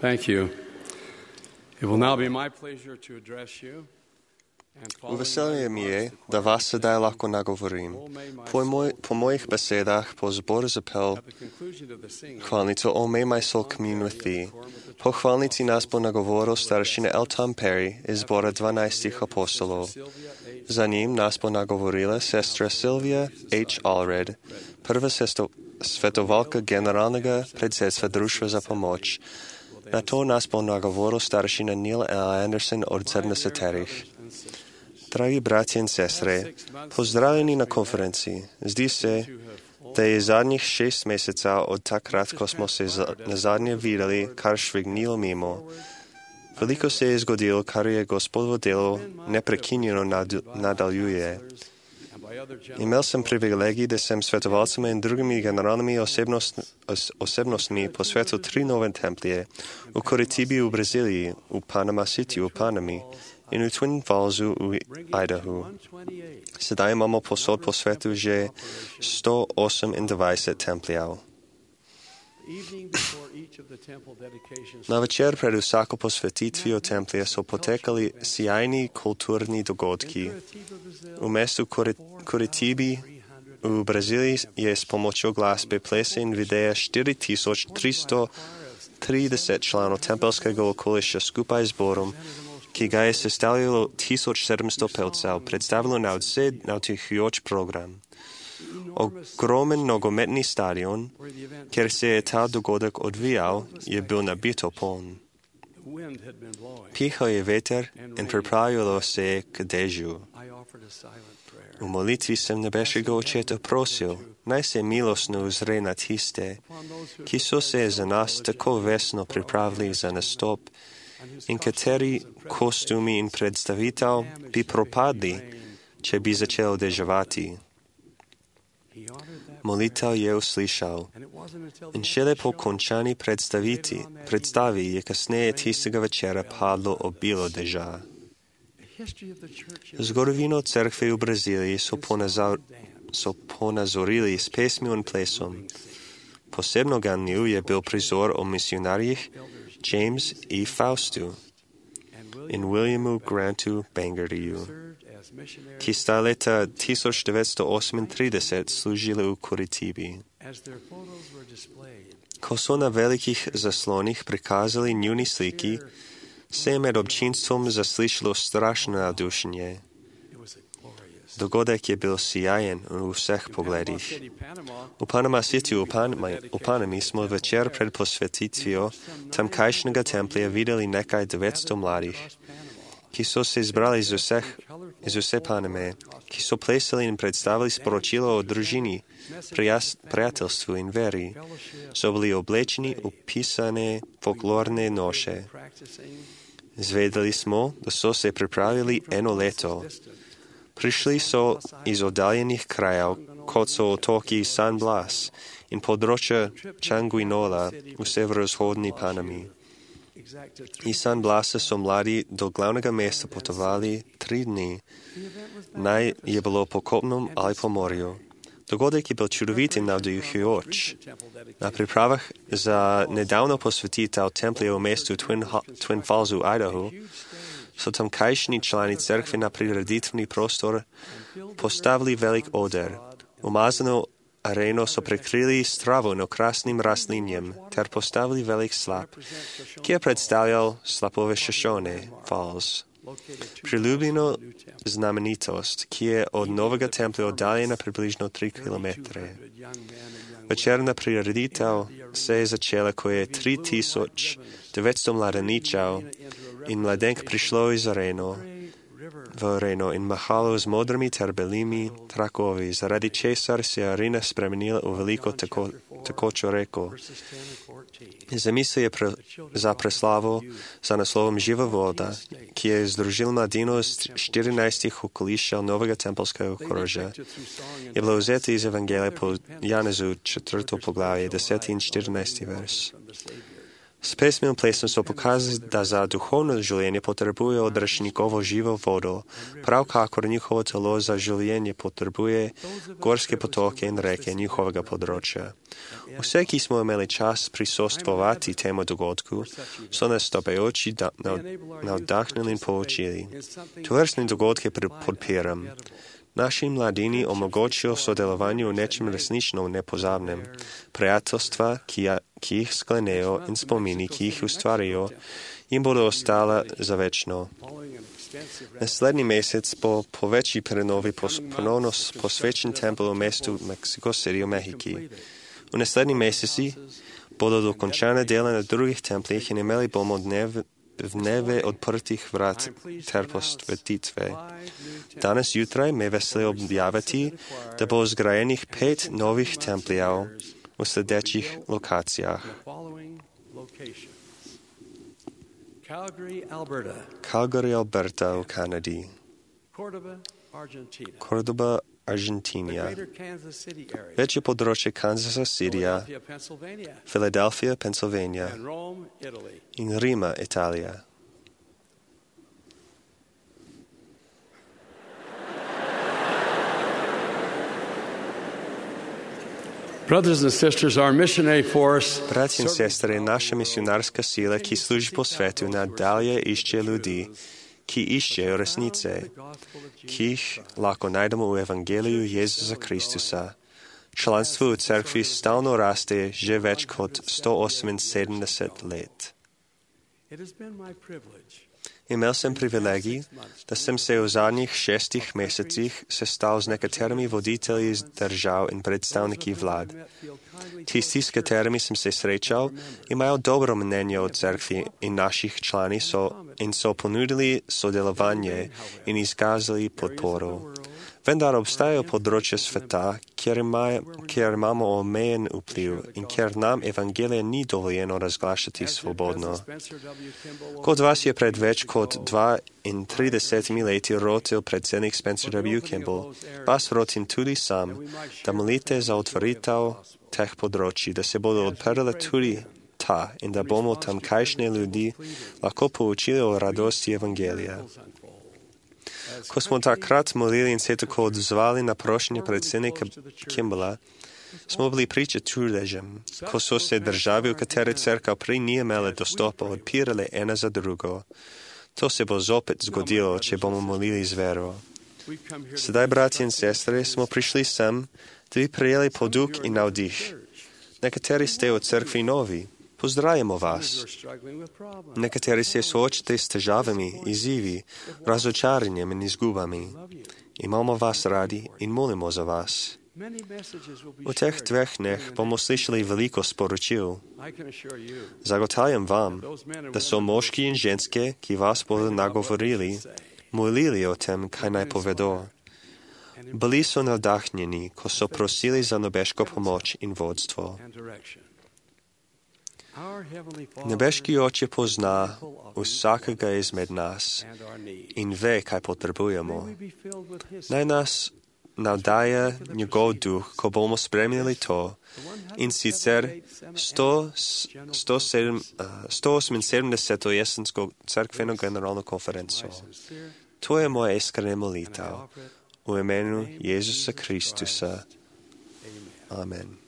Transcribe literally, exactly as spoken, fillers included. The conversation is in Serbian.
Thank you. It will now be my pleasure to address you. Uveselje mi je, da vas sedaj lahko nagovorim. Po, moj, po mojih besedah po zboru zapel hvalnico O May My Soul Commune With Thee. Po hvalnici nas bo nagovoril staršina L. Tom Perry iz zbora dvanajstih apostolov. Za njim nas bo nagovorila sestra Sylvia H. Allred, prva sesto, svetovalka generalnega predsedstva Društva za pomoč. Na to nas bo nagovoril staršina Neil L. Anderson od sedemdesetih. Dragi bratje in sestre, pozdravljeni na konferenciji. Zdi se, da je zadnjih šest mesecev od takrat, ko smo se nazadnje videli, kar švignilo mimo. Veliko se je zgodilo, kar je Gospodovo delo neprekinjeno nad, nadaljuje. Imel sem privilegij, da sem svetovalcem in drugimi generalnimi osebnost, os, osebnostmi posvetil tri nove templje v Curitibi v Braziliji, v Panama City v Panami in v Twin Fallsu v Idahu. Sedaj imamo posod po svetu že sto osemindvajset templjev. Na večer pred vsako posvetitvijo templja so potekali sjajni kulturni dogodki. V mestu Curitibi v Braziliji je s pomočjo glasbe, plesa in videa štiri tisoč tristo trideset članov tempelskega okoliša skupaj z zborom, ki ga je sestavljalo tisoč sedemsto pevcev, predstavilo nadvse navdihujoč program. Ogromen nogometni stadion, kjer se je ta dogodek odvijal, je bil nabito poln. Pihal je veter in pripravilo se je k dežju. V molitvi sem nebeškega očeta prosil, naj se milostno uzre na tiste, ki so se za nas tako vesno pripravili za nastop in kateri kostumi in predstavitev bi propadli, če bi začel deževati. Molitev je uslišal in šele po končani predstavi je kasneje tistega večera padlo obilo deža. Zgodovino cerkve v Braziliji so, ponazor, so ponazorili s pesmijo in plesom. Posebno ganljiv je bil prizor o misionarjih James E. Faustu in Williamu Grantu Bangertyju, ki sta leta tisoč devetsto osemintrideset služili v Curitibi. Ko so na velikih zaslonih prikazali njuni sliki, se je med občinstvom zaslišalo strašno navdušenje. Dogodek je bil sijajen v vseh pogledih. V Panama City v, Panama, v Panami smo večer pred posvetitvijo tamkajšnjega templja videli nekaj devetsto mladih, ki so se zbrali iz, vseh, iz vse Paname, ki so plesali in predstavili sporočilo o družini, prijas, prijateljstvu in veri. So bili oblečeni v pisane folklorne noše. Zvedeli smo, da so se pripravili eno leto. Prišli so iz oddaljenih krajev, kot so otoki San Blas in področja Changuinola v severovzhodni Panami. Iz San Blasa so mladi do glavnega mesta potovali tri dni. Naj je bilo po kopnem ali po morju. Dogodek je bil čudovit in navdihujoč. Na pripravah za nedavno posvetitev templja v mestu Twin, Twin Falls v Idahu so tamkajšnji člani cerkve na prireditveni prostor postavili velik oder. Umazano areno so prekrili s travo in okrasnim rastlinjem ter postavili velik slap, ki je predstavljal slapove Shoshone Falls. Priljubljeno znamenitost, ki je od novega templja oddaljena približno tri kilometre. Večerna prireditev se je začela, ko je tri tisoč devetsto mladeničev in mladenk prišlo iz areno, v areno in mahalo z modrimi ter belimi trakovi, zaradi česar se je arena spremenila v veliko tako, takočo reko. Zamisel je pre, za preslavo za naslovom Živa voda, ki je združil mladino iz štirinajstih okolišča novega tempelskega okrožja. Je bilo vzeti iz Evangelija po Janezu četrto poglavje, deseti in štirinajsti vers. Spesme plesno so pokazali da za duhovno življenje potrebuje odrašnikovo živo vodo, prav kakor njihovo telo za življenje potrebuje gorske potoke in reke njihovega področja. Vse, ki smo imeli čas prisostvovati temu dogodku, so nas stopajoči da, navdahnili in poučili. Tovrstne dogodke podpiram. Naši mladini omogočijo sodelovanje v nečem resnično nepozabnem. Prijateljstva, ki, ja, ki jih sklenejo in spomini, ki jih ustvarjajo, jim bodo ostala za večno. Naslednji mesec bo po večji prenovi ponovno posvečen tempel v mestu Mexico City v Mehiki. V naslednji meseci bodo dokončane dela na drugih templih in imeli bomo dneve dneve odprtih vrat ter posvetitve. Danes jutraj me veseli objaviti, da bo zgrajenih pet novih templjev v sledečih lokacijah. Calgary, Alberta. Calgary, Alberta v Kanadi. Cordoba, Argentina. Cordoba, Argentina. The greater Kansas City area. Večje področje Kansasa, Sirija, Philadelphia, Pennsylvania. Philadelphia, Pennsylvania And Rome, Italy. in Rima, Italija. Brothers and sisters, our missionary force Bratje in sestre, naša misionarska sila, ki služi po svetu, nadalje išče ljudi, ki iščejo resnice, ki jih lahko najdemo v Evangeliju Jezusa Kristusa. Članstvo v cerkvi stalno raste že več kot sto oseminsedemdeset let. It has been my privilege Imel sem privilegij, da sem se v zadnjih šestih mesecih sestal z nekaterimi voditelji iz držav in predstavniki vlad. Tisti, s katerimi sem se srečal, imajo dobro mnenje o cerkvi in naših člani so in so ponudili sodelovanje in izkazali podporo. Vendar obstajajo področja sveta, kjer, ima, kjer imamo omejen vpliv in kjer nam evangelije ni dovoljeno razglašati svobodno. Kot vas je pred več kot dvaintridesetimi leti rotil predsednik Spencer W. Kimball, vas rotim tudi sam, da molite za otvoritev teh področji, da se bodo odprle tudi ta in da bomo tamkajšnje ljudi lahko poučili o radosti evangelija. Ko smo takrat molili in se tako odzvali na prošnje predsednika Kimballa, smo bili priča čudežem, ko so se države, v katere cerkev prej ni imela dostopa, odpirale ena za drugo. To se bo zopet zgodilo, če bomo molili z vero. Sedaj, bratje in sestre, smo prišli sem, da bi prejeli poduk in navdih. Nekateri ste v cerkvi novi. Pozdravljamo vas. Nekateri se soočate s težavami, izzivi, razočaranjem in izgubami. Imamo vas radi in molimo za vas. V teh dveh dneh bomo slišali veliko sporočil. Zagotavljam vam, da so moški in ženske, ki vas bodo nagovorili, molili o tem, kaj naj povedo. Bili so navdahnjeni, ko so prosili za nebeško pomoč in vodstvo. Nebeški Oče pozna vsakega izmed nas in ve, kaj potrebujemo. Naj nas navdaja njegov duh, ko bomo spremljali to, in sicer sto oseminsedemdeseto jesensko cerkveno generalno konferenco. To je moja iskrena molitev v imenu Jezusa Kristusa. Amen.